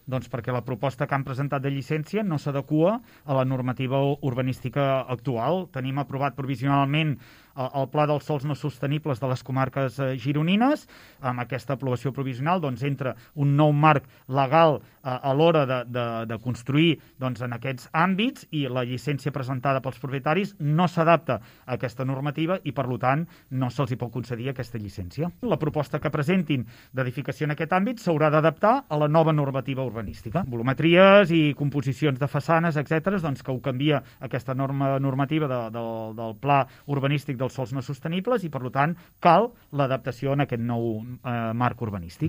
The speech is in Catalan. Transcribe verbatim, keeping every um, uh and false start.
Doncs perquè la proposta que han presentat de llicència no s'adequa a la normativa urbanística actual. Tenim aprovat provisionalment el Pla dels Sòls No Sostenibles de les comarques gironines. Amb aquesta aprovació provisional doncs, entra un nou marc legal a l'hora de, de, de construir doncs, en aquests àmbits, i la llicència presentada pels propietaris no s'adapta a aquesta normativa i, per tant, no se'ls hi pot concedir aquesta llicència. La proposta que presentin d'edificació en aquest àmbit s'haurà d'adaptar a la nova normativa urbanística. Volumetries i composicions de façanes, etcètera, doncs, que ho canvia aquesta norma normativa de, de, del Pla Urbanístic dels Sòls No Sostenibles i, per tant, cal l'adaptació en aquest nou eh, marc urbanístic.